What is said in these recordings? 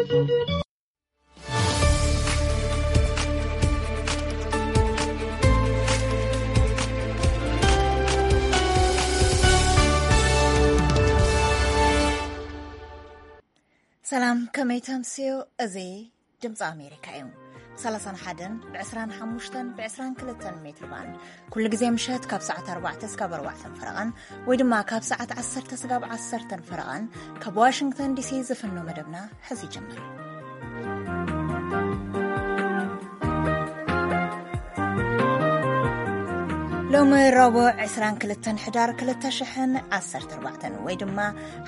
ሰላም፣ ከመይ ተምስዮ? እዚ ድምፂ ኣሜሪካ እዩ። ብ31፣ ብ25፣ ብ22 ሜትር ባንድ፣ ኩሉ ግዜ ምሸት ካብ ሰዓት ኣርባዕተ እስካብ ኣርባዕተ ፈረቓን፣ ወይ ድማ ካብ ሰዓት ዓሰርተ እስካብ ዓሰርተ ፈረቓን፣ ካብ ዋሽንግተን ዲሲ ዝፍኖ መደብና ሕዚ ይጅምር። ሎሚ ረቡዕ ዕስራን ክልተን ሕዳር ክልተ ሽሕን ዓሰርተ ኣርባዕተን ወይ ድማ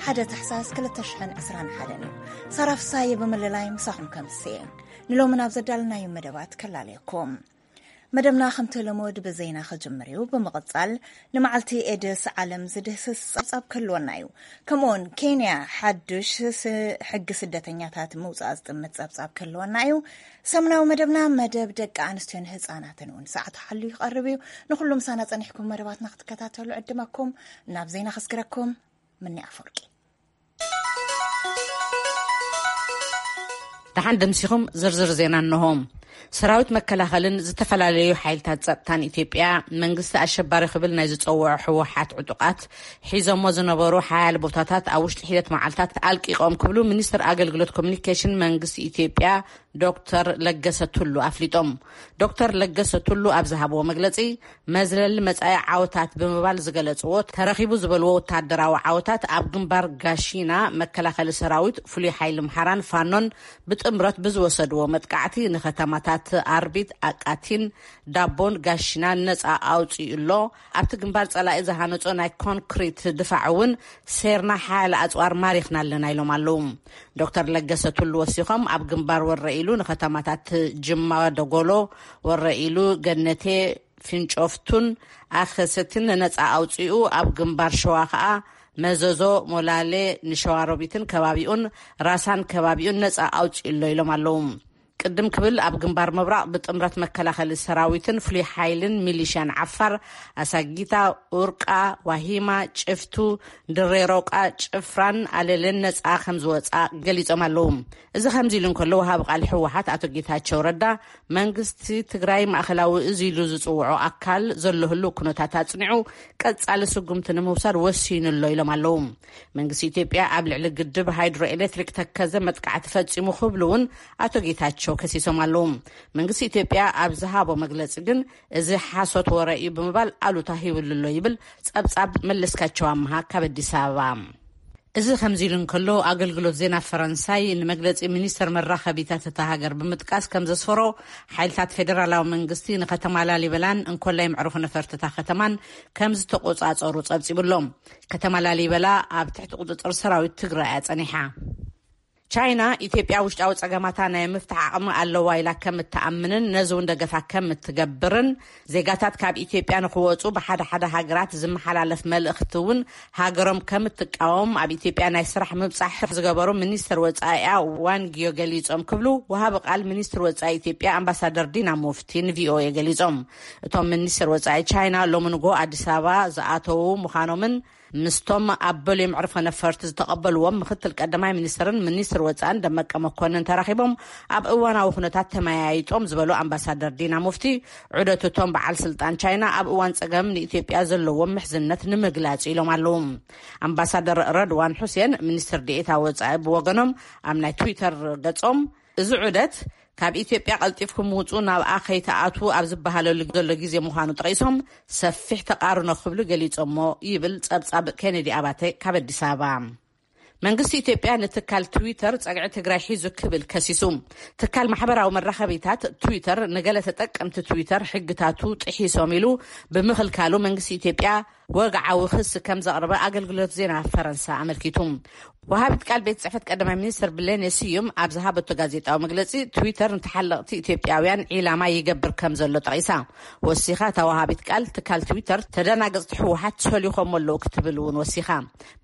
ሓደ ታሕሳስ ክልተ ሽሕን ዕስራን ሓደን እዩ። ሳራ ፍሳየ ብምልላይ ምሳኹም ከምስየ። ንሎሚ ናብ ዘዳለናዮ መደባት ከላለየኩም። መደብና ከምቲ ልሙድ ብዜና ክጅምር እዩ። ብምቕጻል ንመዓልቲ ኤድስ ዓለም ዝድህስስ ጸብጻብ ክህልወና እዩ። ከምኡውን ኬንያ ሓዱሽ ስ-፣ ሕጊ ስደተኛታት ምውጻእ ዝጥምት ጸብጻብ ክህልወና እዩ። ሰሙናዊ መደብና መደብ ደቂ ኣንስትዮን ህጻናትን እውን ሰዓቱ ሓልዩ ይቐርብ እዩ። ንኹሉ ምሳና ጸኒሕኩም መደባትና ክትከታተሉ ዕድመኩም። ናብ ዜና ከስግረኩም። ምኒ ኣፈወርቂ። ደሓን ደምሲኹም። ዝርዝር ዜና እንሆ። ሰራዊት መከላኸልን ዝተፈላለዩ ሓይልታት ጸጥታን ኢትዮጵያ፣ መንግስቲ ኣሸባሪ ክብል ናይ ዝጸውዖ ህወሓት ዕጡቓት ሒዞሞ ዝነበሩ ሓያል ቦታታት ኣብ ውሽጢ ሒደት መዓልታት ኣልቂቖም ክብሉ ሚኒስትር ኣገልግሎት ኮሚኒኬሽን መንግስቲ ኢትዮጵያ ዶክተር ለገሰ ቱሉ ኣፍሊጦም። ዶክተር ለገሰ ቱሉ ኣብ ዝሃብዎ መግለጺ፣ መዝለሊ መጻኢ ዓወታት ብምባል ዝገለጽዎ፣ ተረኺቡ ዝበልዎ ወታደራዊ ዓወታት ኣብ ግንባር ጋሺና መከላኸሊ ሰራዊት፣ ፍሉይ ሓይሊ ምሓራን ፋኖን ብጥምረት ብዝወሰድዎ መጥቃዕቲ ንከተማታት ኣርቢት፣ ኣቃቲን ዳቦን ጋሺናን ነጻ ኣውጺኡ ኣሎ። ኣብቲ ግንባር ጸላኢ ዝሃነጾ ናይ ኮንክሪት ድፋዕ እውን ሴርና ሓያለ ኣጽዋር ማሪኽና ኣለና ኢሎም ኣለዉ። ዶክተር ለገሰ ቱሉ ወሲኾም፣ ኣብ ግንባር ወረ ኢሉ ንከተማታት ጅማ፣ ደጎሎ፣ ወረ ኢሉ፣ ገነቴ፣ ፊንጮፍቱን ኣኸሰትን ነጻ ኣውጺኡ፣ ኣብ ግንባር ሸዋ ከኣ መዘዞ፣ ሞላሌ፣ ንሸዋሮቢትን ከባቢኡን፣ ራሳን ከባቢኡን ነጻ ኣውጺኡ ኣሎ ኢሎም ኣለዉ። ቅድም ክብል ኣብ ግንባር ምብራቕ ብጥምረት መከላኸሊ ሰራዊትን ፍሉይ ሓይልን ሚሊሽያን ዓፋር ኣሳጊታ፣ ኡርቃ፣ ዋሂማ፣ ጭፍቱ፣ ድሬ ሮቃ፣ ጭፍራን ኣለልን ነጻ ከም ዝወጻ ገሊጾም ኣለዉ። እዚ ከምዚ ኢሉ እንከሎ፣ ወሃቢ ቃል ህወሓት ኣቶ ጌታቸው ረዳ፣ መንግስቲ ትግራይ ማእኸላዊ እዚ ኢሉ ዝጽውዖ ኣካል ዘሎ ህልው ኩነታት ኣጽኒዑ ቀጻሊ ስጉምቲ ንምውሳድ ወሲኑ ኣሎ ኢሎም ኣለዉ። መንግስቲ ኢትዮጵያ ኣብ ልዕሊ ግድብ ሃይድሮ ኤሌክትሪክ ተከዘ መጥቃዕቲ ፈጺሙ ክብሉ እውን ኣቶ ጌታቸው ከሲሶም ኣለዉ። መንግስቲ ኢትዮጵያ ኣብ ዝሃቦ መግለጺ ግን፣ እዚ ሓሶት ወረ እዩ ብምባል ኣሉታ ሂብሉ ኣሎ ይብል ጸብጻብ መለስካቸው ኣምሃ ካብ ኣዲስ ኣበባ። እዚ ከምዚ ኢሉ እንከሎ፣ ኣገልግሎት ዜና ፈረንሳይ ንመግለጺ ሚኒስተር መራኸቢታት እታ ሃገር ብምጥቃስ ከም ዘስፈሮ፣ ሓይልታት ፌደራላዊ መንግስቲ ንከተማ ላሊበላን እንኮላይ መዕርፎ ነፈርቲ እታ ከተማን ከም ዝተቆጻጸሩ ጸብጺቡ ኣሎ። ከተማ ላሊበላ ኣብ ትሕቲ ቁጽጽር ሰራዊት ትግራይ እያ ጸኒሓ። ቻይና፣ ኢትዮጵያ ውሽጣዊ ጸገማታ ናይ ምፍታሕ ዓቕሚ ኣለዋ ኢላ ከም እትኣምንን ነዚ እውን ደገፋ ከም እትገብርን፣ ዜጋታት ካብ ኢትዮጵያ ንኽወጹ ብሓደ ሓደ ሃገራት ዝመሓላለፍ መልእኽቲ እውን ሃገሮም ከም እትቃወም ኣብ ኢትዮጵያ ናይ ስራሕ ምብጻሕ ዝገበሩ ሚኒስትር ወጻኢኣ ዋንጊዮ ገሊጾም ክብሉ ወሃቢ ቃል ሚኒስትር ወጻኢ ኢትዮጵያ ኣምባሳደር ዲና ሙፍቲ ንቪኦኤ ገሊጾም። እቶም ሚኒስትር ወጻኢ ቻይና ሎሚ ንግሆ ኣዲስ ኣበባ ዝኣተዉ ምዃኖምን ምስቶም ኣብ በልዮ መዕርፎ ነፈርቲ ዝተቐበልዎም ምክትል ቀዳማይ ሚኒስትርን ሚኒስትር ወጻእን ደመቀ መኮንን ተራኺቦም ኣብ እዋናዊ ኩነታት ተመያይጦም ዝበሉ ኣምባሳደር ዲና ሙፍቲ፣ ዑደት እቶም በዓል ስልጣን ቻይና ኣብ እዋን ጸገም ንኢትዮጵያ ዘለዎም ምሕዝነት ንምግላጽ ኢሎም ኣለዉ። ኣምባሳደር ረድዋን ሑሴን፣ ሚኒስትር ዴኤታ ወጻኢ፣ ብወገኖም ኣብ ናይ ትዊተር ገጾም፣ እዚ ዑደት ካብ ኢትዮጵያ ቀልጢፍኩም ውጹ፣ ናብኣ ከይትኣትዉ ኣብ ዝበሃለሉ ዘሎ ግዜ ምዃኑ ጠቒሶም፣ ሰፊሕ ተቓርኖ ክብሉ ገሊጾሞ ይብል ጸብጻብ ኬኔዲ ኣባተ ካብ ኣዲስ ኣበባ። መንግስቲ ኢትዮጵያ ንትካል ትዊተር ጸግዒ ትግራይ ሒዙ ክብል ከሲሱ። ትካል ማሕበራዊ መራኸቢታት ትዊተር ንገለ ተጠቀምቲ ትዊተር ሕግታቱ ጥሒሶም ኢሉ ብምኽልካሉ መንግስቲ ኢትዮጵያ ወግዓዊ ክሲ ከም ዘቕረበ ኣገልግሎት ዜና ፈረንሳ ኣመልኪቱ። ወሃቢት ቃል ቤት ጽሕፈት ቀዳማይ ሚኒስትር ብሌኔ ስዩም ኣብ ዝሃበቶ ጋዜጣዊ መግለጺ፣ ትዊተር ንተሓለቕቲ ኢትዮጵያውያን ዒላማ ይገብር ከም ዘሎ ጠቒሳ። ወሲኻ እታ ወሃቢት ቃል፣ ትካል ትዊተር ተደናገጽቲ ህወሓት ሰሊኾም ኣለዉ ክትብል እውን ወሲኻ።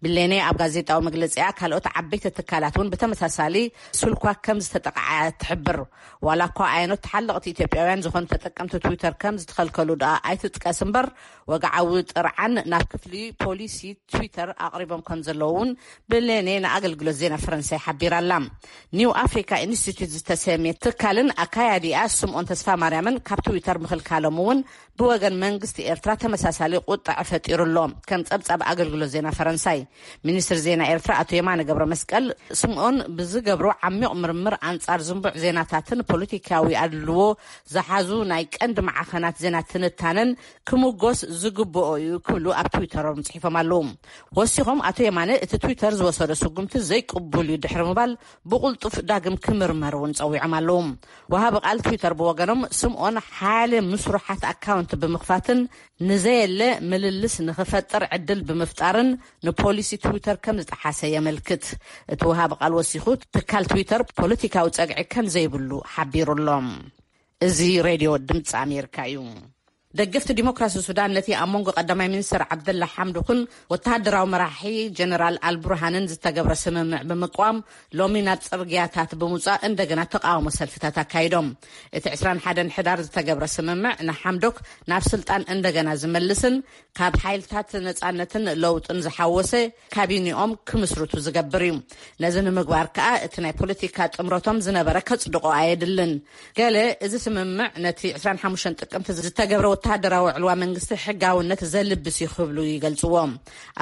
ብሌኔ ኣብ ጋዜጣዊ መግለጺኣ፣ ካልኦት ዓበይቲ ትካላት እውን ብተመሳሳሊ ስልኳ ከም ዝተጠቕዓ ትሕብር። ዋላ እኳ ኣየኖት ተሓለቕቲ ኢትዮጵያውያን ዝኾኑ ተጠቀምቲ ትዊተር ከም ዝተኸልከሉ ደኣ ኣይትጥቀስ እምበር፣ ወግዓዊ ጥርዓን ናብ ክፍሊ ፖሊሲ ትዊተር ኣቕሪቦም ከም ዘለዉ እውን ብሌኔ ንኣገልግሎት ዜና ፈረንሳይ ሓቢራ ኣላ። ኒው ኣፍሪካ ኢንስቲትዩት ዝተሰምየ ትካልን ኣካያዲኣ ስምኦን ተስፋ ማርያምን ካብ ትዊተር ምኽልካሎም እውን ብወገን መንግስቲ ኤርትራ ተመሳሳሊ ቁጣዕ ፈጢሩ ኣሎ። ከም ጸብጻብ ኣገልግሎት ዜና ፈረንሳይ፣ ሚኒስትር ዜና ኤርትራ ኣቶ የማነ ገብረ መስቀል፣ ስምኦን ብዝገብሮ ዓሚቕ ምርምር ኣንጻር ዝንቡዕ ዜናታትን ፖለቲካዊ ኣድልዎ ዝሓዙ ናይ ቀንዲ ማዕኸናት ዜና ትንታነን ክምጎስ ዝግብኦ እዩ ክብሉ ኣብ ትዊተሮም ጽሒፎም ኣለዉ። ወሲኾም ኣቶ የማነ እቲ ትዊተር ዝወሰዶ ስጉምቲ ዘይቅቡል እዩ ድሕሪ ምባል ብቕልጡፍ ዳግም ክምርመር እውን ጸዊዖም ኣለዉ። ወሃቢ ቃል ትዊተር ብወገኖም ስምኦን ሓደ ምስሩሓት ኣካውንት ብምኽፋትን ንዘየለ ምልልስ ንኽፈጥር ዕድል ብምፍጣርን ንፖሊሲ ትዊተር ከም ዝጠሓሰ የመልክት። እቲ ወሃቢ ቃል ወሲኹ ትካል ትዊተር ፖለቲካዊ ጸግዒ ከም ዘይብሉ ሓቢሩ ኣሎ። እዚ ሬድዮ ድምፂ ኣሜሪካ እዩ። ደገፍቲ ዲሞክራሲ ሱዳን ነቲ ኣብ መንጎ ቀዳማይ ሚኒስትር ዓብደላ ሓምዶክን ወተሃደራዊ መራሒ ጀነራል ኣልቡርሃንን ዝተገብረ ስምምዕ ብምቅዋም ሎሚ ናብ ጽርግያታት ብምውጻእ እንደገና ተቃውሞ ሰልፍታት ኣካይዶም። እቲ ዕስራን ሓደን ሕዳር ዝተገብረ ስምምዕ ንሓምዶክ ናብ ስልጣን እንደገና ዝመልስን ካብ ሓይልታት ነጻነትን ለውጥን ዝሓወሰ ካቢኒኦም ክምስርቱ ዝገብር እዩ። ነዚ ንምግባር ከኣ እቲ ናይ ፖለቲካ ጥምረቶም ዝነበረ ከጽድቆ ኣየድልን። ገለ እዚ ስምምዕ ነቲ ዕስራን ሓሙሽተን ጥቅምቲ ዝተገብረ ወተሃደራዊ ዕልዋ መንግስቲ ሕጋውነት ዘልብስ እዩ ክብሉ ይገልጽዎ።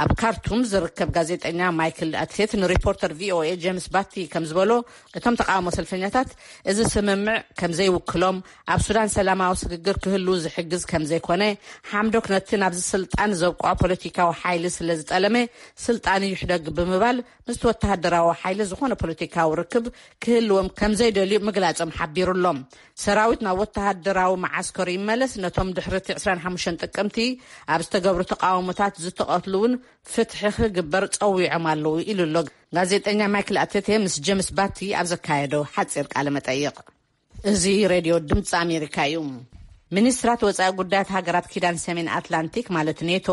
ኣብ ካርቱም ዝርከብ ጋዜጠኛ ማይክል ኣትሴት ንሪፖርተር ቪኦኤ ጄምስ ባቲ ከም ዝበሎ፣ እቶም ተቃውሞ ሰልፈኛታት እዚ ስምምዕ ከም ዘይውክሎም፣ ኣብ ሱዳን ሰላማዊ ስግግር ክህሉ ዝሕግዝ ከም ዘይኮነ፣ ሓምዶክ ነቲ ናብዚ ስልጣን ዘብቅዖ ፖለቲካዊ ሓይሊ ስለ ዝጠለመ ስልጣኑ ይሕደግ ብምባል ምስቲ ወተሃደራዊ ሓይሊ ዝኾነ ፖለቲካዊ ርክብ ክህልዎም ከም ዘይደልዩ ምግላጾም ሓቢሩ ኣሎ። ሰራዊት ናብ ወተሃደራዊ መዓስከሩ ይመለስ፣ ነቶም ድሕሪ እቲ ዕስራን ሓሙሽተን ጥቅምቲ ኣብ ዝተገብሩ ተቃውሞታት ዝተቐትሉ እውን ፍትሒ ክግበር ጸዊዖም ኣለዉ ኢሉ ኣሎ ጋዜጠኛ ማይክል ኣቴቴ ምስ ጀምስ ባቲ ኣብ ዘካየዶ ሓጺር ቃለ መጠይቕ። እዚ ሬድዮ ድምፂ ኣሜሪካ እዩ። ሚኒስትራት ወፃኢ ጉዳያት ሃገራት ኪዳን ሰሜን ኣትላንቲክ ማለት ኔቶ፣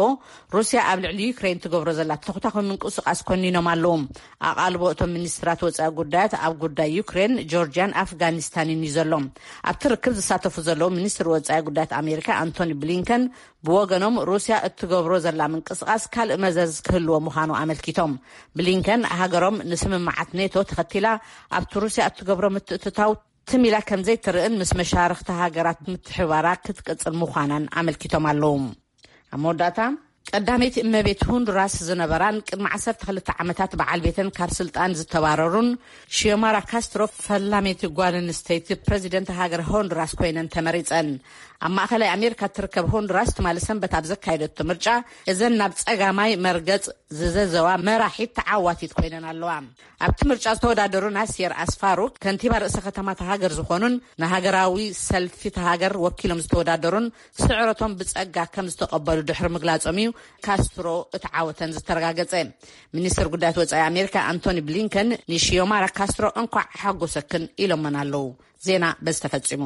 ሩስያ ኣብ ልዕሊ ዩክሬን ትገብሮ ዘላ ተኹታኹ ምንቅስቃስ ኮኒኖም ኣለዉ። ኣቓልቦ እቶም ሚኒስትራት ወፃኢ ጉዳያት ኣብ ጉዳይ ዩክሬን፣ ጆርጂያን ኣፍጋኒስታንን እዩ ዘሎ። ኣብቲ ርክብ ዝሳተፉ ዘለዉ ሚኒስትር ወፃኢ ጉዳያት ኣሜሪካ ኣንቶኒ ብሊንከን ብወገኖም ሩስያ እትገብሮ ዘላ ምንቅስቃስ ካልእ መዘዝ ክህልዎ ምዃኑ ኣመልኪቶም። ብሊንከን ሃገሮም ንስምምዓት ኔቶ ተኸቲላ ኣብቲ ሩስያ እትገብሮ ምትእትታው ትም ኢላ ከም ዘይትርእን ምስ መሻርኽቲ ሃገራት ምትሕባራ ክትቅጽል ምዃናን ኣመልኪቶም ኣለዉ። ኣብ መወዳእታ፣ ቀዳመይቲ እመቤት ሆንዱራስ ዝነበራን ቅድሚ ዓሰርተ ክልተ ዓመታት በዓል ቤተን ካብ ስልጣን ዝተባረሩን ሺዮማራ ካስትሮ ፈላመይቲ ጓል ኣንስተይቲ ፕረዚደንት ሃገር ሆንዱራስ ኮይነን ተመሪጸን። ኣብ ማእኸላይ ኣሜሪካ እትርከብ ሆንዱራስ ትማሊ ሰንበት ኣብ ዘካየደቶ ምርጫ እዘን ናብ ጸጋማይ መርገጽ ዝዘዘዋ መራሒት ተዓዋቲት ኮይነን ኣለዋ። ኣብቲ ምርጫ ዝተወዳደሩ ናሲር ኣስፋሩ ከንቲባ ርእሰ ከተማ እታ ሃገር ዝኾኑን ንሃገራዊ ሰልፊ እታ ሃገር ወኪሎም ዝተወዳደሩን ስዕረቶም ብጸጋ ከም ዝተቐበሉ ድሕሪ ምግላጾም እዩ ካስትሮ እቲ ዓወተን ዝተረጋገጸ። ሚኒስትር ጉዳያት ወጻኢ ኣሜሪካ ኣንቶኒ ብሊንከን ንሺዮማራ ካስትሮ እንኳዕ ሓጎሰክን ኢሎመን ኣለዉ። ዜና በዚ ተፈጺሙ።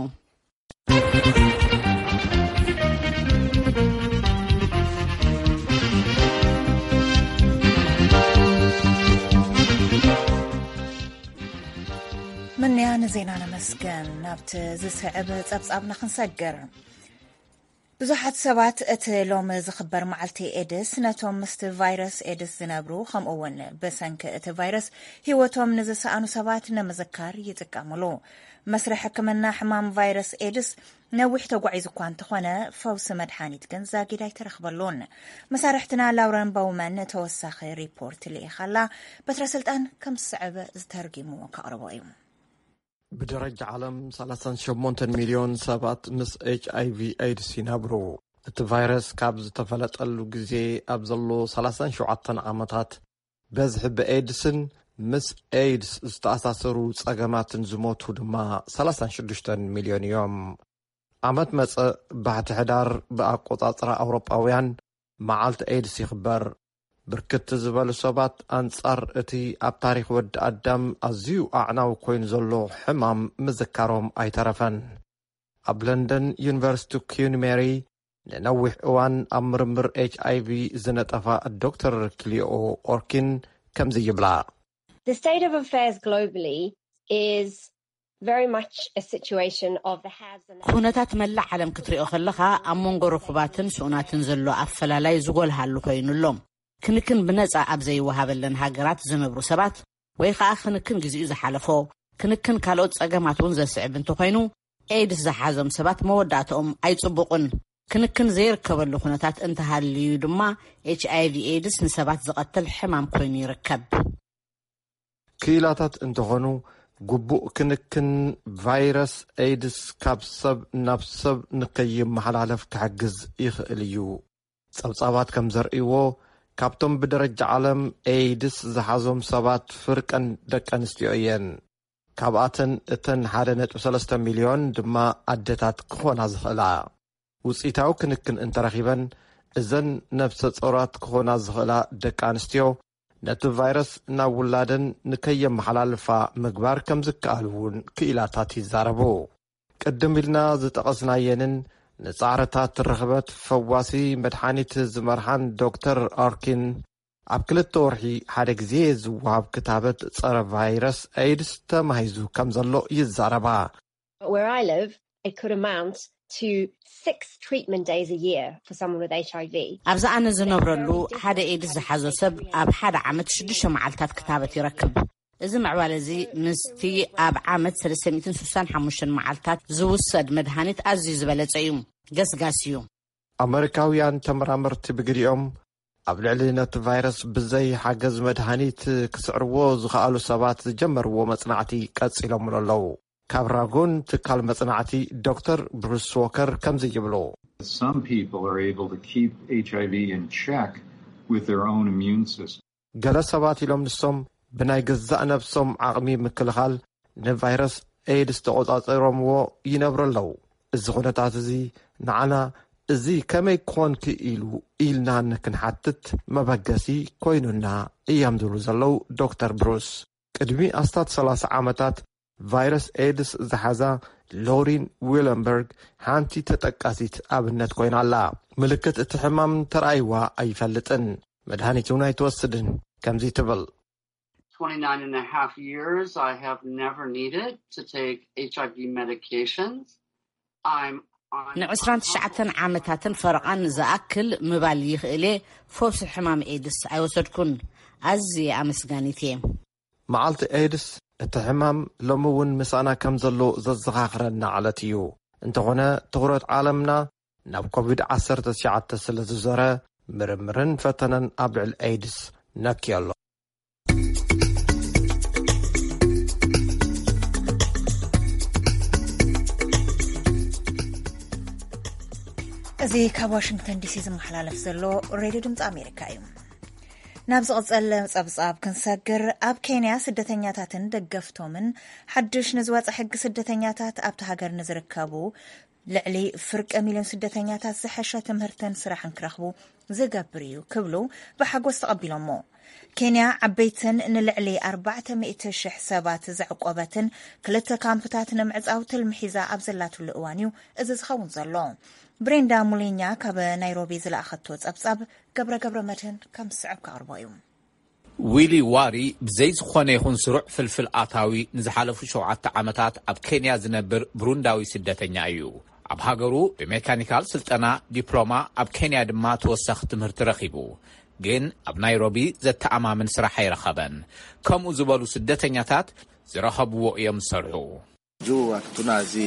ምንያ ንዜና ነመስገን። ናብቲ ዝስዕብ ጸብጻብና ክንሰግር። ብዙሓት ሰባት እቲ ሎሚ ዝኽበር መዓልቲ ኤድስ ነቶም ምስቲ ቫይረስ ኤድስ ዝነብሩ፣ ከምኡ እውን ብሰንኪ እቲ ቫይረስ ህይወቶም ንዝሰኣኑ ሰባት ንምዝካር ይጥቀምሉ። መስርሕ ሕክምና ሕማም ቫይረስ ኤድስ ነዊሕ ተጓዒዙ እኳ እንተኾነ፣ ፈውሲ መድሓኒት ግን ዛጊድ ኣይተረኽበሉን። መሳርሕትና ላውረን በውመን ተወሳኺ ሪፖርት ልኢኻላ። በትረ ስልጣን ከም ዝስዕብ ዝተርጊሙ ከቕርቦ እዩ። ብደረጃ ዓለም ሰላሳን ሸሞንተን ሚልዮን ሰባት ምስ ኤች ኣይ ቪ ኤድስ ይነብሩ። እቲ ቫይረስ ካብ ዝተፈለጠሉ ግዜ ኣብ ዘሎ ሰላሳን ሸውዓተን ዓመታት፣ በዝሒ ብኤድስን ምስ ኤድስ ዝተኣሳሰሩ ጸገማትን ዝሞቱ ድማ ሰላሳን ሽዱሽተን ሚልዮን እዮም። ዓመት መጸ ባሕቲ ሕዳር ብኣቆጻጽራ ኣውሮጳውያን መዓልቲ ኤድስ ይኽበር። ብርክት ዝበሉ ሰባት ኣንጻር እቲ ኣብ ታሪኽ ወዲ ኣዳም ኣዝዩ ኣዕናዊ ኮይኑ ዘሎ ሕማም ምዝካሮም ኣይተረፈን። ኣብ ለንደን ዩኒቨርሲቲ ኩን ሜሪ ንነዊሕ እዋን ኣብ ምርምር ኤች ኣይ ቪ ዝነጠፋ ዶክተር ክሊኦ ኦርኪን ከምዚ ይብላ። The state of affairs globally is very much a situation of the haves and the ኩነታት መላእ ዓለም ክትሪኦ ከለኻ ኣብ መንጎ ርኹባትን ስኡናትን ዘሎ ኣፈላላይ ዝጎልሃሉ ኮይኑ ኣሎ። ክንክን ብነጻ ኣብ ዘይወሃበለን ሃገራት ዝነብሩ ሰባት፣ ወይ ከኣ ክንክን ግዜኡ ዝሓለፎ፣ ክንክን ካልኦት ጸገማት እውን ዘስዕብ እንተኾይኑ፣ ኤድስ ዝሓዞም ሰባት መወዳእትኦም ኣይጽቡቕን። ክንክን ዘይርከበሉ ኩነታት እንተሃልዩ ድማ፣ ኤች ኣይ ቪ ኤድስ ንሰባት ዝቐትል ሕማም ኮይኑ ይርከብ። ክኢላታት እንተኾኑ፣ ግቡእ ክንክን ቫይረስ ኤድስ ካብ ሰብ ናብ ሰብ ንከይመሓላለፍ ክሕግዝ ይኽእል እዩ። ጸብጻባት ከም ዘርእይዎ፣ ካብቶም ብደረጃ ዓለም ኤድስ ዝሓዞም ሰባት ፍርቀን ደቂ ኣንስትዮ እየን። ካብኣተን እተን ሓደ ነጥቢ ሰለስተ ሚልዮን ድማ ኣደታት ክኾና ዝኽእላ። ውጽኢታዊ ክንክን እንተረኺበን፣ እዘን ነብሰ ጾራት ክኾና ዝኽእላ ደቂ ኣንስትዮ ነቲ ቫይረስ ናብ ውላደን ንከየመሓላልፋ ምግባር ከም ዝከኣል እውን ክኢላታት ይዛረቡ። ቅድም ኢልና ዝጠቐስናየንን ንጻዕርታት ርኽበት ፈዋሲ መድሓኒት ዝመርሓን ዶክተር ኣርኪን፣ ኣብ ክልተ ወርሒ ሓደ ግዜ ዝወሃብ ክታበት ጸረ ቫይረስ ኤድስ ተማሂዙ ከም ዘሎ ይዛረባ። Where I live, it could amount to six treatment days a year for someone with H I V. ኣብዚ ኣነ ዝነብረሉ፣ ሓደ ኤድስ ዝሓዞ ሰብ ኣብ ሓደ ዓመት ሽዱሽተ መዓልታት ክታበት ይረክብ። እዚ ምዕባለ እዚ ምስቲ ኣብ ዓመት ሰለስተ ሚእትን ስሳን ሓሙሽተን መዓልታት ዝውሰድ መድሃኒት ኣዝዩ ዝበለጸ እዩ። ገስጋስ እዩ። ኣመሪካውያን ተመራመርቲ ብግዲኦም፣ ኣብ ልዕሊ ነቲ ቫይረስ ብዘይ ሓገዝ መድሃኒት ክስዕርዎ ዝኸኣሉ ሰባት ዝጀመርዎ መጽናዕቲ ቀጺሎምሉ ኣለዉ። ካብ ራጎን ትካል መጽናዕቲ ዶክተር ብሩስ ዎከር ከምዚ ይብሉ። Some people are able to keep H I V in check with their own immune system. ገለ ሰባት ኢሎም ንሶም ብናይ ገዛእ ነብሶም ዓቕሚ ምክልኻል ንቫይረስ ኤድስ ተቖጻጺሮምዎ ይነብሩ ኣለዉ። እዚ ኩነታት እዚ ንዓና እዚ ከመይ ክኾን ክኢሉ ኢልና ንክንሓትት መበገሲ ኮይኑና እዮም ዝብሉ ዘለዉ ዶክተር ብሩስ። ቅድሚ ኣስታት ሰላሳ ዓመታት ቫይረስ ኤድስ ዝሓዛ ሎሪን ዊለንበርግ ሓንቲ ተጠቃሲት ኣብነት ኮይና ኣላ። ምልክት እቲ ሕማም ተራእይዋ ኣይፈልጥን። መድሃኒት እውን ኣይትወስድን። ከምዚ ትብል። twenty-nine and a half years, I have never needed to take H I V medications. I'm on ንዕስራን ትሽዓተን ዓመታትን ፈረቓን ዝኣክል ምባል ይኽእል እየ፣ ፈውሲ ሕማም ኤድስ ኣይወሰድኩን። ኣዝየ ኣመስጋኒት እየ። መዓልቲ ኤድስ፣ እቲ ሕማም ሎሚ እውን ምሳና ከም ዘሎ ዘዘኻኽረና ዕለት እዩ። እንተኾነ፣ ትኹረት ዓለምና ናብ ኮቪድ ዓሰርተ ትሽዓተ ስለ ዝዞረ፣ ምርምርን ፈተነን ኣብ ልዕሊ ኤድስ ነክዮ ኣሎ። እዚ ካብ ዋሽንግተን ዲሲ ዝመሓላለፍ ዘሎ ሬድዮ ድምፂ ኣሜሪካ እዩ። ናብ ዝቕጸል ጸብጻብ ክንሰግር፣ ኣብ ኬንያ ስደተኛታትን ደገፍቶምን ሓድሽ ንዝወጸ ሕጊ ስደተኛታት ኣብቲ ሃገር ንዝርከቡ ልዕሊ ፍርቂ ሚልዮን ስደተኛታት ዝሐሸ ትምህርትን ስራሕን ክረኽቡ ዝገብር እዩ ክብሉ ብሓጎስ ተቐቢሎሞ። ኬንያ ዓበይትን ንልዕሊ ኣርባዕተ ሚእቲ ሽሕ ሰባት ዘዕቆበትን ክልተ ካምፕታት ንምዕጻው ትልሚ ሒዛ ኣብ ዘላትሉ እዋን እዩ እዚ ዝኸውን ዘሎ። ብሬንዳ ሙሊኛ ካብ ናይሮቢ ዝለኣኸቶ ጸብጻብ ገብረ ገብረ መድህን ከም ዝስዕብ ከቕርቦ እዩ። ዊሊ ዋሪ ብዘይ ዝኾነ ይኹን ስሩዕ ፍልፍል ኣታዊ ንዝሓለፉ ሸውዓተ ዓመታት ኣብ ኬንያ ዝነብር ብሩንዳዊ ስደተኛ እዩ። ኣብ ሃገሩ ብሜካኒካል ስልጠና ዲፕሎማ፣ ኣብ ኬንያ ድማ ተወሳኺ ትምህርቲ ረኺቡ። ግን ኣብ ናይሮቢ ዘተኣማምን ስራሕ ኣይረኸበን። ከምኡ ዝበሉ ስደተኛታት ዝረኸብዎ እዮም ዝሰርሑ። Juu hatuna zi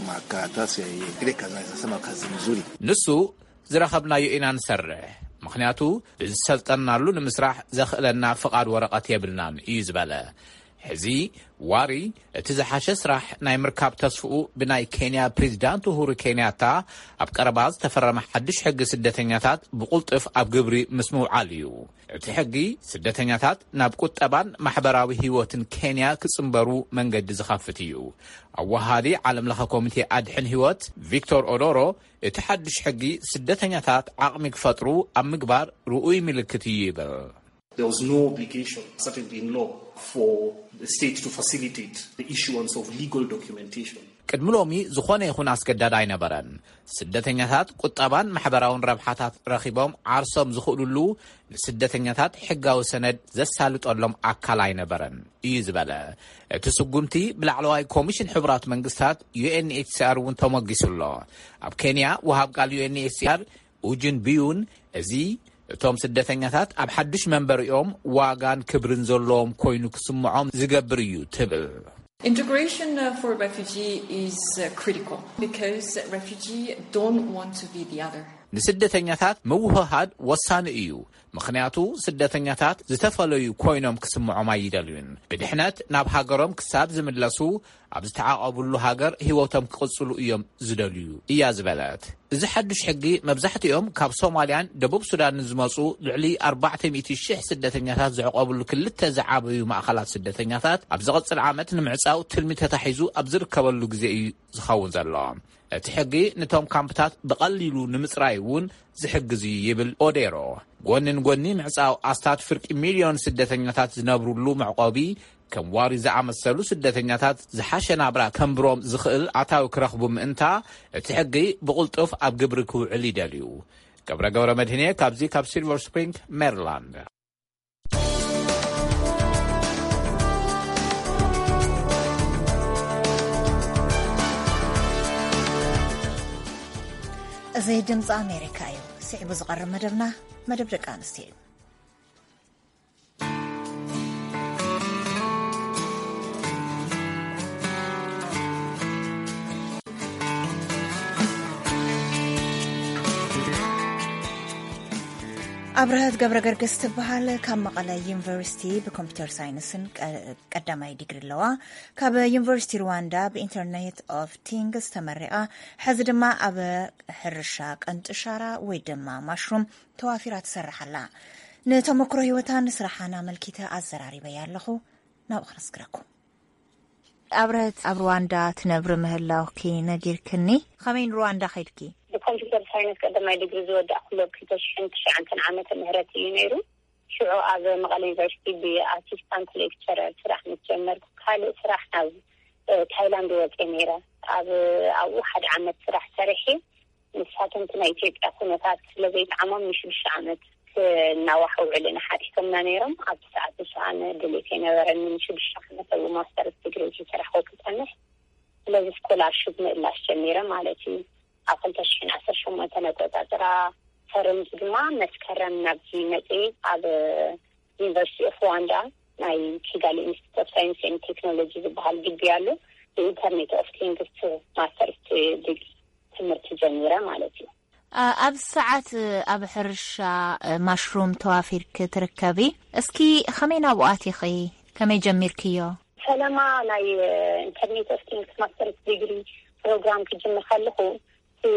makaratasi ya ile kazi, naweza sema kazi nzuri. ንሱ ዝረኸብናዮ ኢና ንሰርሕ፣ ምኽንያቱ ብዝሰልጠናሉ ንምስራሕ ዘኽእለና ፍቓድ ወረቐት የብልናን እዩ ዝበለ። ሕዚ ዋሪ እቲ ዝሓሸ ስራሕ ናይ ምርካብ ተስፍኡ ብናይ ኬንያ ፕሬዚዳንት ኡሁሩ ኬንያታ ኣብ ቀረባ ዝተፈረመ ሓድሽ ሕጊ ስደተኛታት ብቑልጡፍ ኣብ ግብሪ ምስ ምውዓል እዩ። እቲ ሕጊ ስደተኛታት ናብ ቁጠባን ማሕበራዊ ህይወትን ኬንያ ክጽንበሩ መንገዲ ዝኸፍት እዩ። ኣወሃዲ ዓለም ለኸ ኮሚቴ ኣድሕን ህይወት ቪክቶር ኦዶሮ፣ እቲ ሓድሽ ሕጊ ስደተኛታት ዓቕሚ ክፈጥሩ ኣብ ምግባር ርኡይ ምልክት እዩ ይብል። There was no obligation, certainly in law, for the state to facilitate the issuance of legal documentation. ቅድሚ ሎሚ ዝኾነ ይኹን ኣስገዳድ ኣይነበረን። ስደተኛታት ቁጠባን ማሕበራውን ረብሓታት ረኺቦም ዓርሶም ዝኽእሉሉ ንስደተኛታት ሕጋዊ ሰነድ ዘሳልጠሎም ኣካል ኣይነበረን እዩ ዝበለ። እቲ ስጉምቲ ብላዕለዋይ ኮሚሽን ሕቡራት መንግስታት ዩ ኤን ኤች ሲ ኣር እውን ተሞጊሱ ኣሎ። ኣብ ኬንያ ወሃብ ቃል ዩ ኤን ኤች ሲ ኣር ኡጅን ቢዩን፣ እዚ እቶም ስደተኛታት ኣብ ሓዱሽ መንበሪኦም ዋጋን ክብርን ዘለዎም ኮይኑ ክስምዖም ዝገብር እዩ ትብል። Integration uh, for refugee is uh, critical because refugee don't want to be the other. ንስደተኛታት ምውህሃድ ወሳኒ እዩ፣ ምኽንያቱ ስደተኛታት ዝተፈለዩ ኮይኖም ክስምዖም ኣይደልዩን። ብድሕነት ናብ ሃገሮም ክሳብ ዝምለሱ ኣብ ዝተዓቐብሉ ሃገር ህይወቶም ክቕጽሉ እዮም ዝደልዩ እያ ዝበለት። እዚ ሓዱሽ ሕጊ መብዛሕትኦም ካብ ሶማልያን ደቡብ ሱዳንን ዝመጹ ልዕሊ ኣርባዕተ ሚእቲ ሽሕ ስደተኛታት ዘዕቆብሉ ክልተ ዝዓበዩ ማእኸላት ስደተኛታት ኣብ ዝቕጽል ዓመት ንምዕጻው ትልሚ ተታሒዙ ኣብ ዝርከበሉ ግዜ እዩ ዝኸውን ዘሎ። እቲ ሕጊ ንቶም ካምፕታት ብቐሊሉ ንምጽራይ እውን ዝሕግዝ እዩ ይብል ኦዴሮ። ጎኒ ንጎኒ ምዕጻው ኣስታት ፍርቂ ሚልዮን ስደተኛታት ዝነብሩሉ መዕቆቢ ከም ዋሪ ዝኣመሰሉ ስደተኛታት ዝሓሸ ናብራ ከንብሮም ዝኽእል ኣታዊ ክረኽቡ ምእንታ እቲ ሕጊ ብቕልጡፍ ኣብ ግብሪ ክውዕል ይደልዩ። ገብረ ገብረ መድህኔ ካብዚ ካብ ሲልቨር ስፕሪንግ ሜሪላንድ። እዚ ድምፂ ኣሜሪካ እዩ። ስዒቡ ዝቐርብ መደብና መደብ ደቂ ኣንስትዮ እዩ። ኣብረሀት ገብረ ገርግስ ትበሃል። ካብ መቐለ ዩኒቨርሲቲ ብኮምፒውተር ሳይንስን ቀ- ቀዳማይ ዲግሪ ኣለዋ። ካብ ዩኒቨርሲቲ ሩዋንዳ ብኢንተርኔት ኦፍ ቲንግስ ተመሪቓ፣ ሕዚ ድማ ኣብ ሕርሻ ቀንጢ ሻራ ወይ ድማ ማሽሩም ተዋፊራ ትሰርሕ ኣላ። ንተመክሮ ህይወታን ስራሓን ኣመልኪተ ኣዘራሪበያ ኣለኹ። ናብኡ ክነስግረኩም። ኣብረህት ኣብ ሩዋንዳ ትነብሪ ምህላውኪ ነጊርክኒ። ከመይ ንሩዋንዳ ከይድኪ? ብኮምፒውተር ሳይንስ ቀዳማይ ዲግሪ ዝወዳእኩሉ ኣብ ክልተ ሽሕን ትሽዓተን ዓመተ ምህረት እዩ ነይሩ። ሽዑ ኣብ መቐለ ዩኒቨርሲቲ ብኣሲስታንት ሌክቸረር ስራሕ ምስ ጀመርኩ፣ ካልእ ስራሕ ናብ ታይላንድ ወፅየ ነይረ። ኣብ ኣብኡ ሓደ ዓመት ስራሕ ሰሪሐ። ንሳቶም እቲ ናይ ኢትዮጵያ ኩነታት ስለ ዘይጠዓሞም ንሽዱሽተ ዓመት ክናዋሕ ውዕል ኢና ሓቲቶምና ነይሮም። ኣብቲ ሰዓት ንሱ ኣነ ድሌት ኣይነበረኒ ንሽዱሽተ ዓመት ኣብኡ ማስተርስ ዲግሪ ዝሰራሕኩ ክፀንሕ። ስለዚ ስኮላርሽፕ ምእላሽ ጀሚረ ማለት እዩ። ኣብ ክልተ ሽሕን ዓሰርተ ሸሞንተን ኣቆፃፅራ ፈረንጂ ድማ መስከረም ናብዚ መፅየ። ኣብ ዩኒቨርሲቲ ኦፍ ሩዋንዳ ናይ ኪጋሊ ኢንስቲትዩት ኦፍ ሳይንስ ኤንድ ቴክኖሎጂ ዝበሃል ግቢ ኣሎ። ኢንተርኔት ኦፍ ቲንግስ ማስተርስ ዲግሪ ትምህርቲ ጀሚረ ማለት እዩ። ኣብዚ ሰዓት ኣብ ሕርሻ ማሽሩም ተዋፊርኪ ትርከቢ። እስኪ ከመይ ናብኡ ኣቲኺ? ከመይ ጀሚርክዮ? ፈለማ ናይ ኢንተርኔት ኦፍ ቲንግስ ማስተርስ ዲግሪ ፕሮግራም ክጅምር ከለኹ እቲ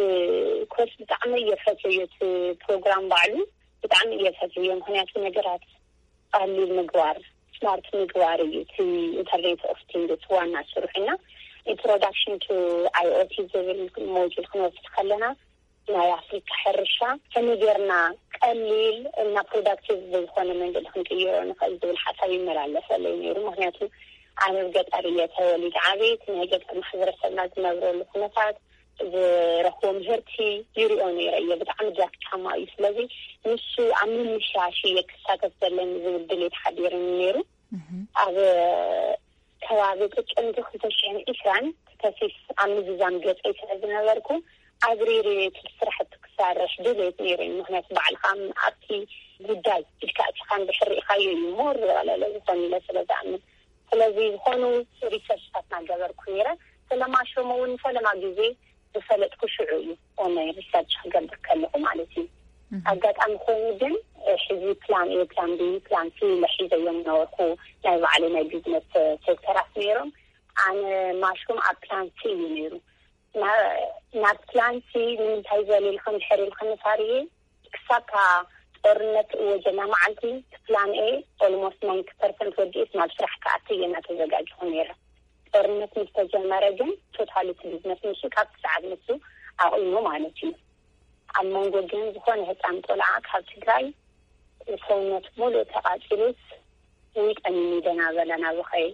ኮርስ ብጣዕሚ እየ ፈትዮ። እቲ ፕሮግራም ባዕሉ ብጣዕሚ እየ ፈትዮ፣ ምክንያቱ ነገራት ቀሊል ምግባር፣ ስማርት ምግባር እዩ እቲ ኢንተርኔት ኦፍ ቲንግስ ዋና ስርሑ። እና ኢንትሮዳክሽን ቱ ኣይኦቲ ዝብል ሞጁል ክንወስድ ከለና ናይ ኣፍሪካ ሕርሻ ከመይ ጌርና ቀሊል እና ፕሮዳክቲቭ ብዝኾነ መንገዲ ክንቅይሮ ንኽእል ዝብል ሓሳብ ይመላለሰለይ ነይሩ። ምክንያቱ ኣነ ኣብ ገጠር እየ ተወሊደ ዓብየ። እቲ ናይ ገጠር ማሕበረሰብና ዝነብረሉ ኩነታት፣ ዝረኽቦ ምህርቲ ይሪኦ ነይረ እየ። ብጣዕሚ ድካማ እዩ። ስለዚ ንሱ ኣብ ምምሻሽ እየ ክሳተፍ ዘለኒ ዝብል ድሌት ሓዲርኒ ነይሩ። ኣብ ከባቢ ጥቅምቲ ክልተ ሽሕን ዕስራን ተሲፍ ኣብ ምዝዛም ገፀይ ስለ ዝነበርኩ፣ ኣብሪሪ እቲ ስራሕቲ ክሰርሕ ድሌት ነይሩኒ። ምክንያቱ ባዕልካ ኣብቲ ጉዳይ ኢድካ ኣቲካ እንድሕር ርኢካዮ እዩ ሞር ዝቐለለ ዝኾን ኢለ ስለ ዝኣምን። ስለዚ ዝኾኑ ሪሰርችታት እናገበርኩ ነይረ። ስለ ማሽሩም እውን ፈለማ ግዜ ዝፈለጥኩ ሽዑ እዩ፣ ኦንላይን ሪሰርች ክገብር ከለኹ ማለት እዩ። ኣጋጣሚ ኮይኑ ግን ሕዚ ፕላን ኤ፣ ፕላን ቢ፣ ፕላን ሲ ኢለ ሒዘዮም ነበርኩ። ናይ ባዕለይ ናይ ቢዝነስ ሴክተራት ነይሮም። ኣነ ማሽሩም ኣብ ፕላን ሲ እዩ ነይሩ። ናብ ፕላን ሲ ንምንታይ ዘሊልኩም ድሕር ኢልክኒ ሳርየ፣ ክሳብ እታ ጦርነት እወጀላ መዓልቲ እቲ ፕላን ኤ ኦልሞስት ናይንቲ ፐርሰንት ወዲኤስ ናብ ስራሕ ክኣቱ እየ እናተዘጋጀኹ ነይረ። ጦርነት ምስ ተጀመረ ግን ቶታሊ እቲ ቢዝነስ ንሱ ካብቲ ሰዓት ንሱ ኣቑሙ ማለት እዩ። ኣብ መንጎ ግን ዝኾነ ህፃን ቆልዓ ካብ ትግራይ ሰውነት ሙሉእ ተቓፂሉስ ውይ ጠሚኒ ደናበለ ናብኸይ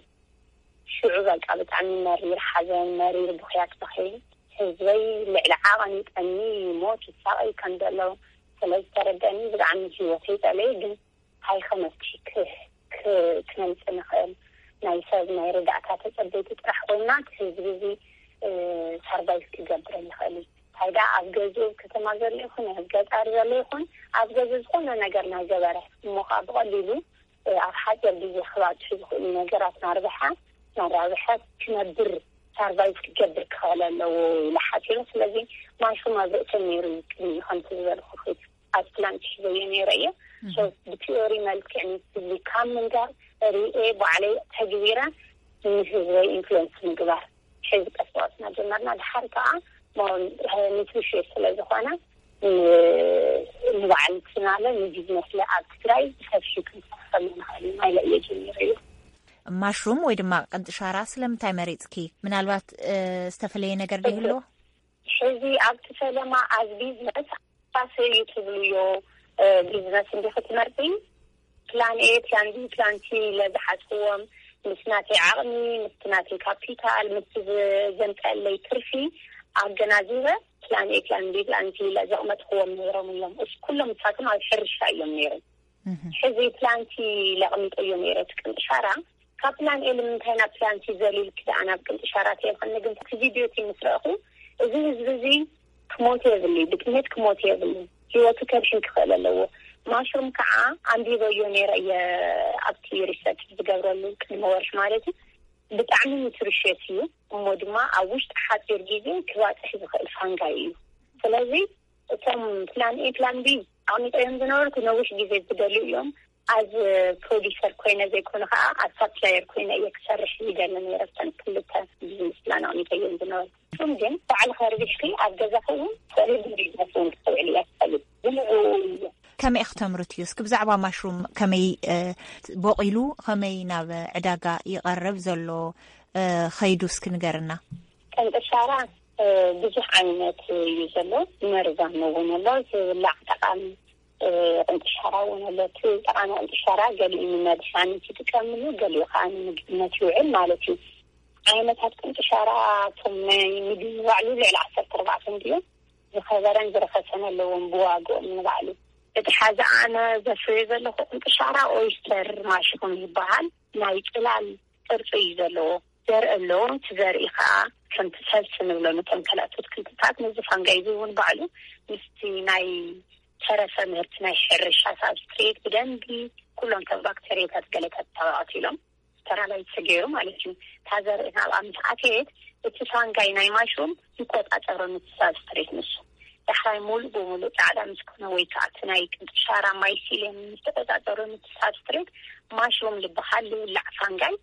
ሽዑ በቃ ብጣዕሚ መሪር ሓዘን፣ መሪር ብኽያት በኸየ። ህዝበይ ልዕሊ ዓቐን ይጠሚ፣ ይሞት፣ ይሳቐይ ከም ዘሎ ስለ ዝተረደአኒ ብጣዕሚ ህይወተይ ጸለየ። ግን እንታይ ከመፍትሒ ክነምጽእ ንኽእል? ናይ ሰብ ናይ ርዳእታ ተጸበይቲ ጥራሕ ኮይንና እቲ ህዝቢ እዚ ሰርቫይቭ ክገብር ኣይኽእል እዩ። እንታይ ደኣ ኣብ ገዝኡ ኣብ ከተማ ዘሎ ይኹን ኣብ ገጠር ዘሎ ይኹን ኣብ ገዛ ዝኾነ ነገር ናይ ገበረ እሞ ከዓ ብቐሊሉ ኣብ ሓፂር ግዜ ክባፅሑ ዝኽእሉ ነገራት ናርብሓ ናራብሐ ክነብር ሳርቫይቭ ክገብር ክኽእል ኣለዎ ኢለ ሓሲበ። ስለዚ ማሽሩም ኣብ ርእሰይ ነይሩ እዩ ቅድሚ ከምቲ ዝበልኩ ኣብ ፕላን ክሕዘዮ ነይረ እየ። ብቲዮሪ መልክዕ ንስሊ ካብ ምንጋር ሪኤ ባዕለይ ተግቢረ ንህዝበይ ኢንፍሉንስ ምግባር ሕዚ ቀስ ብቐስ እናጀመርና ድሓር ከዓ ኒትሪሽስ ስለ ዝኾነ ንባዕልትናለ ንቢዝነስለ ኣብ ትግራይ ብሰፊሑ ክንሰርሐሉ ንኽእል ኢና ኢለ እየ ጀሚረ እዩ። ማሽሩም ወይ ድማ ቅንጥሻራ ስለምንታይ መሪፅኪ? ምናልባት ዝተፈለየ ነገር ዶ ይህልዎ? ሕዚ ኣብቲ ፈለማ ኣብ ቢዝነስ ፋሰ እዩ ትብልዮ ቢዝነስ እንዲ ክትመርፂ ፕላን ኤ ፕላን ቢ ፕላን ሲ ለዝሓዝክዎም ምስ ናተይ ዓቕሚ ምስ ናተይ ካፒታል ምስ ዘምፀለይ ትርፊ ኣገናዚበ ፕላን ኤ ፕላን ቢ ፕላን ሲ ለዘቕመጥክዎም ነይሮም እዮም። እስ ኩሎም እሳቶም ኣብ ሕርሻ እዮም ነይሮም። ሕዚ ፕላንቲ ለቕሚጠዮ ነይረ እቲ ቅንጥሻራ ካብ ፕላን ኤ ንምንታይ ናብ ፕላንቲ ዘሊልኪ ደኣ ናብ ቅንጥሻራ ተይኮነ ግን እቲ ቪድዮ እቲ ምስ ረእኹ እዚ ህዝቢ እዚ ክሞት የብሉ ብጥሜት ክሞት የብሉ ህይወቱ ከድሕን ክኽእል ኣለዎ። ማሽሩም ከዓ ኣንቢበዮ ነይረ እየ ኣብቲ ሪሰርች ዝገብረሉ ቅድሚ ወርሒ ማለት እዩ። ብጣዕሚ ኒትሪሽስ እዩ እሞ ድማ ኣብ ውሽጢ ሓፂር ግዜ ክባፅሕ ዝኽእል ፋንጋይ እዩ። ስለዚ እቶም ፕላን ኤ ፕላን ቢ ኣቕሚጠዮም ዝነበርኩ ነዊሕ ግዜ ዝደልዩ እዮም። ኣብ ፕሮዲሰር ኮይነ ዘይኮነ ከዓ ኣብ ሳፕላየር ኮይነ እየ ክሰርሕ ይደሊ ነይረ። ብተን ክልተ ቢዝነስ ፕላን ኣቕሚጠዮም ዝነበርኩ እሱም ግን ባዕልኻ ርቢሕኪ ኣብ ገዛኺ እውን ሰሪሕ ቢዝነስ እውን ክተውዕል እያ ትኸእል ዝምዕኡ እዩ። ከመይ ክተምርት እዩ እስኪ ብዛዕባ ማሽሩም ከመይ ቦቂሉ ከመይ ናብ ዕዳጋ ይቐርብ ዘሎ ከይዱ እስኪ ንገርና። ቅንጥሻራ ብዙሕ ዓይነት እዩ ዘሎ። መርዛም እውን ኣሎ። ዝብላዕ ጠቃሚ ቅንጥሻራ እውን ኣሎ። እቲ ጠቃሚ ቅንጥሻራ ገሊኡ ንመድሓኒት ይጥቀምሉ፣ ገሊኡ ከዓ ንምግብነት ይውዕል ማለት እዩ። ዓይነታት ቅንጥሻራ እቶም ናይ ምግቢ ንባዕሉ ልዕሊ ዓሰርተ ኣርባዕተ እንድዮም። ዝኸበረን ዝረኸሰን ኣለዎም ብዋግኦም ንባዕሉ። እቲ ሓዚ ኣነ ዘፍርዮ ዘለኹ ቅንጥሻራ ኦይስተር ማሽሩም ይበሃል። ናይ ጽላል ቅርጺ እዩ ዘለዎ። ዘርኢ ኣለዎ። እቲ ዘርኢ ከዓ ከምቲ ሰልሲ ንብሎ ነቶም ካልኣት ኣትክልትታት ነዚ ፋንጋይ እዚ እውን ባዕሉ ምስቲ ናይ ተረፈ ምህርቲ ናይ ሕርሻ ሳብስትሬት ብደንቢ ኩሎም ከም ባክተርያታት ገለታት ተባቐቲሎም ስተራላይት ተገይሩ ማለት እዩ። እታ ዘርኢ ናብኣ ምስ ኣተየት እቲ ፋንጋይ ናይ ማሽሩም ይቆፃፀሮ ነቲ ሳብስትሬት ንሱ ዳሕራይ ሙሉእ ብሙሉእ ፃዕዳ ምስ ኮነ ወይ ከዓ እቲ ናይ ቅንጥሻራ ማይሲልየም ምስ ተቆፃፀሮ ነቲ ሳብስትሬት ማሽሩም ዝበሃል ዝብላዕ ፋንጋይ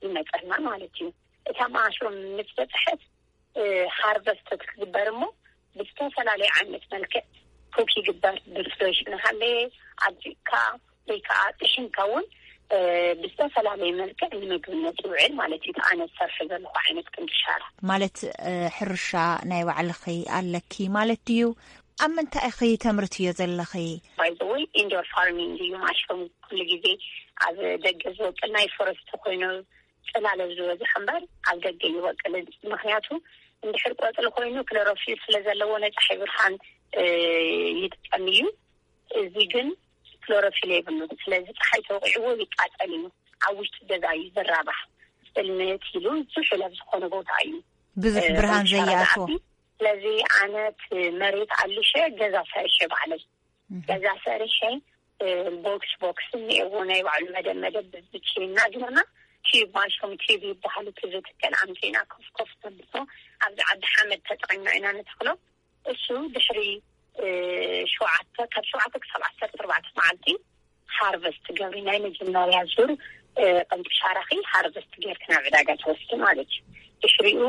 ይመፀና ማለት እዩ። እታ ማሽሩም ምስ በፅሐት ሃርቨስት ክትግበር እሞ ብዝተፈላለዩ ዓይነት መልክዕ ኩክ ይግበር። ብፍሬሽ እናሃለየ ኣብዚእካ ወይ ከዓ ጥሒንካ እውን ብዝተፈላለየ መልክዕ ንምግብነት ይውዕል ማለት እዩ። ኣነ ዝሰርሐ ዘለኹ ዓይነት ቅንጥሻራ ማለት ሕርሻ ናይ ባዕልኺ ኣለኪ ማለት ድዩ? ኣብ ምንታይ ኢኺ ተምርትዮ ዘለኺ? ባይዘወይ ኢንዶር ፋርሚንግ እዩ ማሽሩም ኩሉ ግዜ ኣብ ደገ ዝወቅል ናይ ፎረስት ኮይኑ ፅላለ ዝበዝሖ እምበር ኣብ ደገ ይወቅል። ምክንያቱ እንድሕር ቆፅሊ ኮይኑ ክሎሮፊል ስለ ዘለዎ ናይ ፀሓይ ብርሃን ይጥቀም እዩ። እዚ ግን ክሎሮፊል የብሉ። ስለዚ ፀሓይ ተወቂዕዎ ይቃፀል እዩ። ኣብ ውሽጢ ገዛ እዩ ዝራባሕ። ፅልምት ኢሉ ዝሑል ኣብ ዝኾነ ቦታ እዩ ብዙሕ ብርሃን ዘይኣትዎ። ስለዚ ኣነት መሬት ኣልሸ ገዛ ሰርሸ ባዕለይ ገዛ ሰርሸ ቦክስ ቦክስ እኒኤዎ ናይ ባዕሉ መደብ መደብ ብብቼ እናግበርና ቲዩብ ማሽሩም ቲዩብ ይበሃል። እቲ ዝትከል ኣምፂና ኮፍ ኮፍ ተብሎ ኣብዚ ዓዲ ሓመድ ተጠቂምና ኢና ንተክሎ። እሱ ድሕሪ ሸውዓተ ካብ ሸውዓተ ክሳብ ዓሰርተ ኣርባዕተ መዓልቲ ሃርቨስት ገብሪ ናይ መጀመርያ ዙር ቅንጥሻራኺ ሃርቨስት ጌርክ ናብ ዕዳጋ ትወስዲ ማለት እዩ። ድሕሪኡ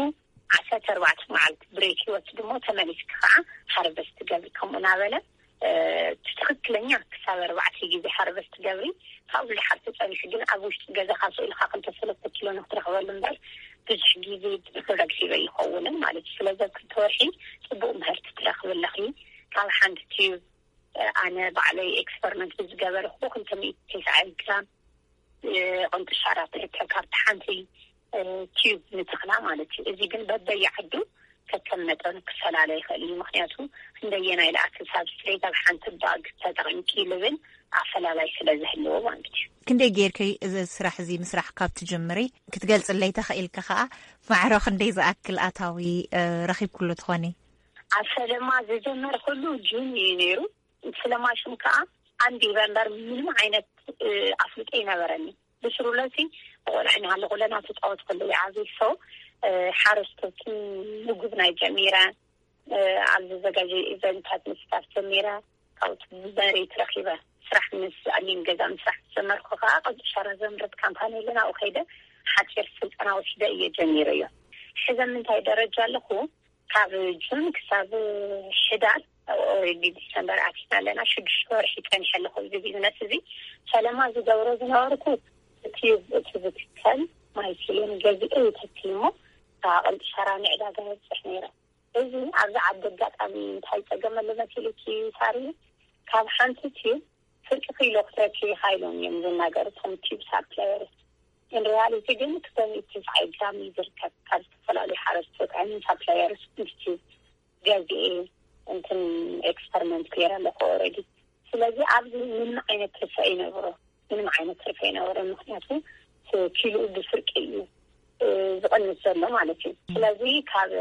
ዓሰርተ ኣርባዕተ መዓልቲ ብሬክ ይወስድ እሞ ተመሊስኪ ከዓ ሃርቨስት ገብሪ ከምኡ እናበለ ትክክለኛ ክሳብ ኣርባዕተ ግዜ ሃርቨስት ገብሪ ካብኡ ዝሓር ተፀኒሑ ግን ኣብ ውሽጢ ገዛኻ ስኢልካ ክልተ ሰለስተ ኪሎ ንክትረክበሉ እምበር ብዙሕ ግዜ ፕሮዳክቲቭ ኣይኸውንን ማለት እዩ። ስለዚ ኣብ ክልተ ወርሒ ፅቡቅ ምህርቲ ትረክቢ ኣለኺ። ካብ ሓንቲ ቲዩብ ኣነ ባዕለይ ኤክስፐሪመንት ብዝገበርኩ ክልተ ሚእቲ ተስዓን ግራም ቅንጥሻራ ትርከብ ካብቲ ሓንቲ ቲዩብ ንተኽላ ማለት እዩ። እዚ ግን በበየ ዓዱ ከከም መጠኑ ክፈላለ ይኽእል እዩ። ምክንያቱ ክንደየናይ ለኣክል ሳብስትሬት ኣብ ሓንቲ ባግ ተጠቒምኪ ልብል ኣፈላላይ ስለ ዝህልዎ ማለት እዩ። ክንደይ ጌርኪ እዚ ስራሕ እዚ ምስራሕ ካብ ትጅምሪ ክትገልፅለይ ተኽኢልኪ ከዓ ማዕረ ክንደይ ዝኣክል ኣታዊ ረኺብክሉ ትኾኒ? ኣብ ፈለማ ዝጀመርኩሉ ጁን እዩ ነይሩ። ስለ ማሽን ከዓ ኣንቢበ እምበር ምንም ዓይነት ኣፍልጦ ይነበረኒ። ብስሩለሲ ቆልዓ ናሃለኩ ለና ተፃወት ከለዉ ይዓብይ ሰው ሓረስቶትን ምግብ ናይ ጀሚረ ኣብ ዘዘጋጀ ኢቨንታት ምስታፍ ጀሚረ ካብቲ መሬት ረኪበ ስራሕ ምስ ኣሊም ገዛ ምስራሕ ዝጀመርኩ ከዓ ቀልጢ ሻራ ዘምረት ካምፓኒ ኣለና ኣብኡ ከይደ ሓፂር ስልጠና ወሲደ እየ ጀሚረዮ። ሕዘ ምንታይ ደረጃ ኣለኩ? ካብ ጁን ክሳብ ሕዳር ኦሬዲ ዲሰምበር ኣቲና ኣለና ሽዱሽተ ወርሒ ፀኒሐ ኣለኩ እዚ ቢዝነስ እዚ። ፈለማ ዝገብሮ ዝነበርኩ እቲ እቲ ዝትከል ማይሲሊን ገዚኦ ይተክልሞ ኣቅልጢ ሸራ ንዕዳጋ የብፅሕ ነይረ። እዚ ኣብዚ ዓዲ ኣጋጣሚ እንታይ ፀገም ኣሎ መሲልኪ ሳሪ? ካብ ሓንቲ ቲብ ፍርቂ ኪሎ ክትረኪ ይካይሎም እዮም ዝናገሩ እቶም ቲብ ሳፕላየርስ። ኢንሪያሊቲ ግን ክሰብ ትስዓይ ግራም እዩ ዝርከብ ካብ ዝተፈላለዩ ሓረስቶት ሳፕላየርስ ኢንስቲትዩት ገዚኤ እንትን ኤክስፐሪመንት ገይረ ኣለኩ ኦረዲ። ስለዚ ኣብዚ ምንም ዓይነት ትርፈ ይነብሮ ምንም ዓይነት ትርፈ ይነብሮ ምክንያቱ ኪሉ ብፍርቂ እዩ ዝቐንስ ዘሎ ማለት እዩ። ስለዚ ካብ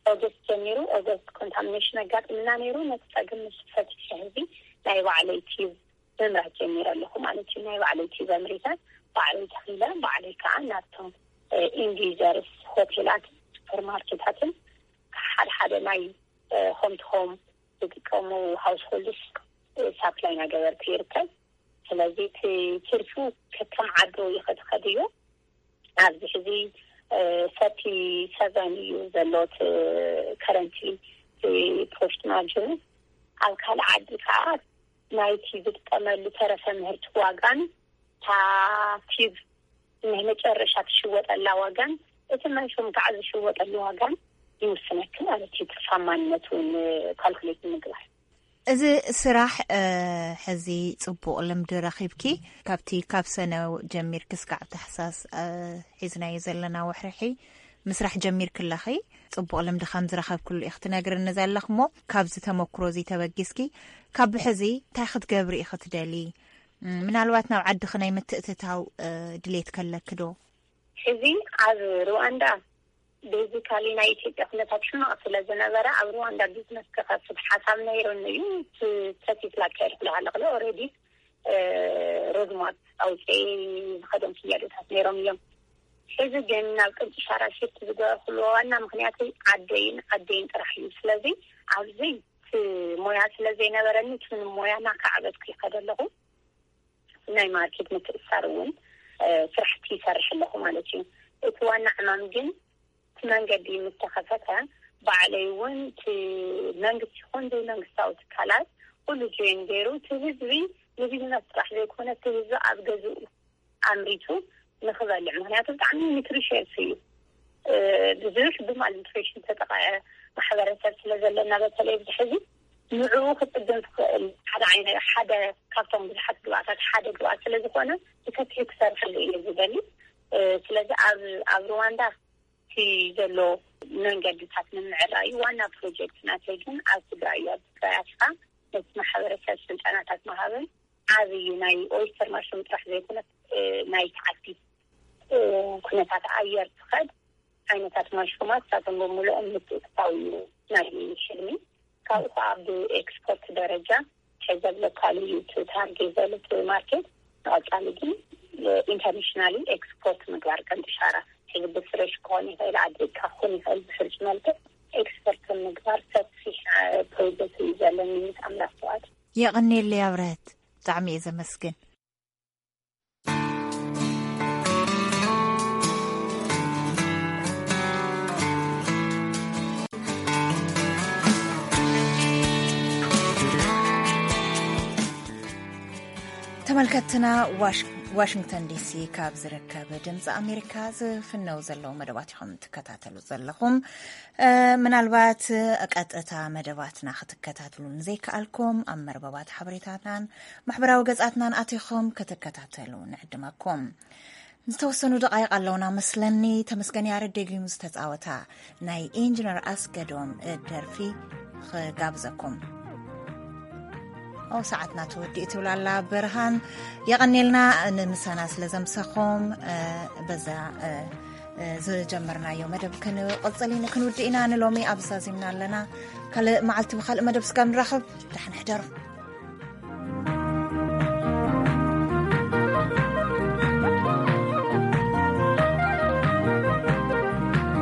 ኦገስት ጀሚሩ ኦገስት ኮንታሚኔሽን ኣጋጥምና ነይሩ። ነቲ ፀገም ምስ ፈትሐ ህዝቢ ናይ ባዕለይ ቲብ ምምራት ጀሚረ ኣለኩ ማለት እዩ። ናይ ባዕለይ ቲብ ኣምሪተ ባዕለይ ተኺለ ባዕለይ ከዓ ናብቶም ኢንዲዩዘርስ ሆቴላት ሱፐርማርኬታትን ሓደ ሓደ ናይ ሆም ቱ ሆም ዝጥቀሙ ሃውስሆልድስ ሳፕላይ ናገበርኩ ይርከብ። ስለዚ እቲ ትርፉ ከከም ዓዱ ይኸትኸድ እዩ። ኣብዚ ሕዚ ሰርቲ ሰቨን እዩ ዘሎ እቲ ከረንትሊ ፕሮፊት ማርጅኑ። ኣብ ካልእ ዓዲ ከዓ ናይቲ ዝጥቀመሉ ተረፈ ምህርቲ ዋጋን ታቲብ ናይ መጨረሻ ትሽወጠላ ዋጋን እቲ መንሹም ከዓ ዝሽወጠሉ ዋጋን ይውስነኪ ማለት እዩ። ትርፋማነቱ ካልኩሌት ንምግባር እዚ ስራሕ ሕዚ ፅቡቕ ልምዲ ረኺብኪ ካብቲ ካብ ሰነ ጀሚርኪ እስካዕ ታሕሳስ ሒዝናዮ ዘለና ወሕርሒ ምስራሕ ጀሚርኪ ኣለኺ። ፅቡቕ ልምዲ ከም ዝረኸብክሉ ኢኺ ትነግርኒ ዘለኽ እሞ ካብዚ ተመክሮ እዚ ተበጊስኪ ካብ ሕዚ እንታይ ክትገብሪ ኢኺ ትደሊ? ምናልባት ናብ ዓድኺ ናይ ምትእትታው ድሌት ከለኪ ዶ? ሕዚ ኣብ ሩዋንዳ ቤዚካሊ ናይ ኢትዮጵያ ኩነታት ሕማቕ ስለ ዝነበረ ኣብ ሩዋንዳ ቢዝነስ ክኸፍት ሓሳብ ነይሩኒ እዩ። ሰቲት ላካየድኩ ኣለኹ ኦረዲ ሮድማፕ ኣውፅኤ ዝኸዶም ስያዶታት ነይሮም እዮም። ሕዚ ግን ናብ ቅንጭ ሻራ ሽፍት ዝገበርኩሉ ዋና ምክንያተይ ዓደይን ዓደይን ጥራሕ እዩ። ስለዚ ኣብዚ እቲ ሞያ ስለ ዘይነበረኒ እቲ ሞያ እናካዕበትኩ ይኸደ ኣለኹ። ናይ ማርኬት ምትእሳር እውን ስራሕቲ ይሰርሕ ኣለኹ ማለት እዩ። እቲ ዋና ዕማም ግን እቲ መንገዲ ምስ ተኸፈተ ባዕለይ እውን እቲ መንግስቲ ይኹን ዘይመንግስታዊ ትካላት ኩሉ ጆይን ገይሩ እቲ ህዝቢ ንቢዝነስ ጥራሕ ዘይኮነ እቲ ህዝቢ ኣብ ገዝኡ ኣምሪቱ ንክበልዕ ምክንያቱ ብጣዕሚ ኒትሪሽየስ እዩ። ብዙሕ ብማልኒትሪሽን ዝተጠቐዐ ማሕበረሰብ ስለ ዘለና በተለይ ኣብዚ ሕዚ ንዕኡ ክፅገን ዝኽእል ሓደ ዓይነት ሓደ ካብቶም ብዙሓት ግብኣታት ሓደ ግብኣት ስለ ዝኾነ ብሰፊሑ ክሰርሐሉ እየ ዝደሊ። ስለዚ ኣብ ኣብ ሩዋንዳ እቲ ዘሎ መንገድታት ንምዕራይ ዋና ፕሮጀክት ናተይ ግን ኣብ ትግራይ እዩ። ኣብ ትግራይ ኣትካ ነቲ ማሕበረሰብ ስልጠናታት ምሃብን ዓብዪ ናይ ኦይስተር ማሽሩም ጥራሕ ዘይኮነ ናይ ተዓዲ ኩነታት ኣየር ትኸድ ዓይነታት ማሽሩማት ሳቶም ብምልኦም ምትእትታው እዩ ናይ ሕልሚ። ካብኡ ከዓ ብኤክስፖርት ደረጃ ሕዘብ ሎካል እዩ እቲ ታርጌት ዘሎ እቲ ማርኬት። ንቐፃሊ ግን ኢንተርናሽናሊ ኤክስፖርት ምግባር ከም ጥሻራ ሕዚ ብፍሬሽ ክኾን ይኽእል ዓዲ ኢልካ ክኾን ይኽእል ብሕርጭ መልክዕ ኤክስፖርት ምግባር ሰፊሕ ፕሮጀክት እዩ ዘለኒ ምስ ኣምላኽ ፍቓድ። የቐንየለይ ኣብረህት ብጣዕሚ እየ ዘመስግን። ተመልከትና ዋሽንግተን ዲሲ ካብ ዝርከብ ድምፂ ኣሜሪካ ዝፍነው ዘለዉ መደባት ኢኹም ትከታተሉ ዘለኹም። ምናልባት ቀጥታ መደባትና ክትከታተሉ ንዘይከኣልኩም ኣብ መርበባት ሓበሬታትናን ማሕበራዊ ገጻትናን ኣቲኹም ክትከታተሉ ንዕድመኩም። ዝተወሰኑ ደቃይቕ ኣለውና መስለኒ። ተመስገን ያረድ ደጊሙ ዝተጻወታ ናይ ኢንጂነር ኣስገዶም ደርፊ ክጋብዘኩም። ኦ ሰዓትና ተወዲኡ ትብላላ ብርሃን። የቐኔልና ንምሳና ስለ ዘምሰኹም። በዛ ዝጀመርናዮ መደብ ክንቕጽል ክንውድእ ኢና። ንሎሚ ኣብ ዛዚምና ኣለና። ካልእ መዓልቲ ብካልእ መደብ ስጋብ ንራኸብ ደሓን ሕደሩ።